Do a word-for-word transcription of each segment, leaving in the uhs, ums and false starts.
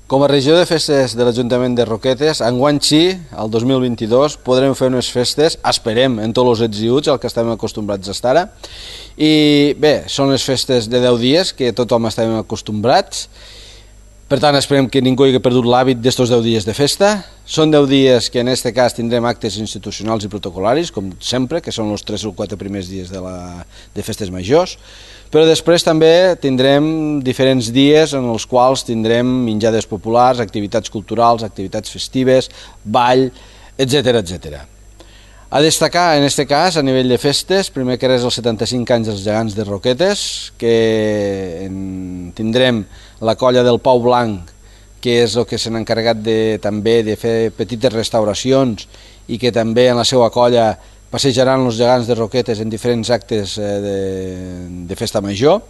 Com a regió de festes de l'Ajuntament de Roquetes, enguany sí, el dos mil vint-i-dos, podrem fer unes festes, esperem, en tots els ets i uts, al que estem acostumbrats a estar ara. I bé, són les festes de deu dies, que tothom estem acostumbrats. Per tant, esperem que ningú hagi perdut l'hàbit d'estos deu dies de festa. Són deu dies que en aquest cas tindrem actes institucionals i protocolaris, com sempre, que són els tres o quatre primers dies de, la, de festes majors. Però després també tindrem diferents dies en els quals tindrem menjades populars, activitats culturals, activitats festives, ball, etcètera, etcètera. A destacar, en aquest cas, a nivell de festes, primer que res els setanta-cinc anys dels gegants de Roquetes, que en tindrem la colla del Pau Blanc, que és el que s'ha encarregat de, també de fer petites restauracions i que també en la seva colla passejaran els gegants de Roquetes en diferents actes de, de festa major.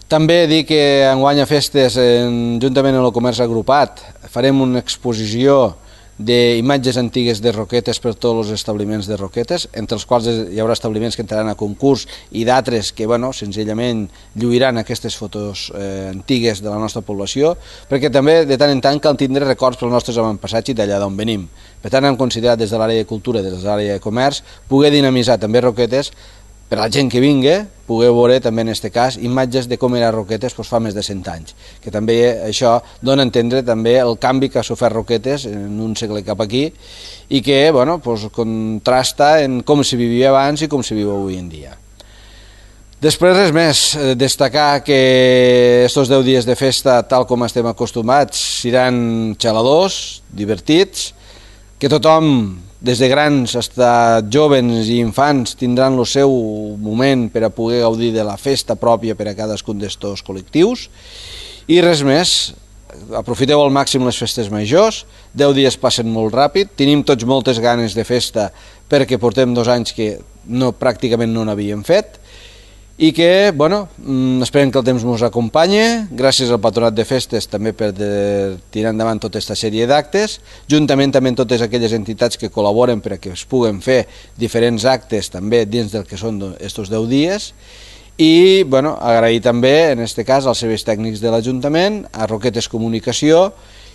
També dir que enguany a festes, en, juntament amb el comerç agrupat, farem una exposició d'imatges antigues de Roquetes per tots els establiments de Roquetes, entre els quals hi haurà establiments que entraran a concurs i d'altres que, bueno, senzillament lluiran aquestes fotos eh, antigues de la nostra població, perquè també de tant en tant cal tindre records pels nostres avantpassats i d'allà d'on venim. Per tant, hem considerat des de l'àrea de cultura i des de l'àrea de comerç poder dinamitzar també Roquetes per a la gent que vingui, poder veure també en aquest cas imatges de com era Roquetes doncs, fa més de cent anys, que també això dona a entendre també el canvi que ha sofert Roquetes en un segle cap aquí i que bueno, doncs, contrasta en com se vivia abans i com se viu avui en dia. Després res més, destacar que estos deu dies de festa, tal com estem acostumats, seran xaladors, divertits, que tothom, des de grans fins a jóvens i infants, tindran el seu moment per a poder gaudir de la festa pròpia per a cadascun d'estos col·lectius. I res més, aprofiteu al màxim les festes majors, deu dies passen molt ràpid, tenim tots moltes ganes de festa perquè portem dos anys que no, pràcticament no n'havíem fet, i que, bueno, esperem que el temps ens acompanyi, gràcies al Patronat de Festes també per tirar endavant tota aquesta sèrie d'actes, juntament també amb totes aquelles entitats que col·laboren per a que es puguen fer diferents actes també dins del que són estos deu dies, i, bueno, agrair també, en aquest cas, als serveis tècnics de l'Ajuntament, a Roquetes Comunicació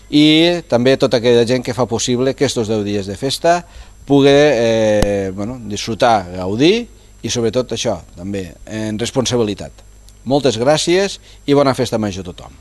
i també a tota aquella gent que fa possible que estos deu dies de festa pugui eh, bueno, disfrutar, gaudir, i sobretot això, també, en responsabilitat. Moltes gràcies i bona festa major a tothom.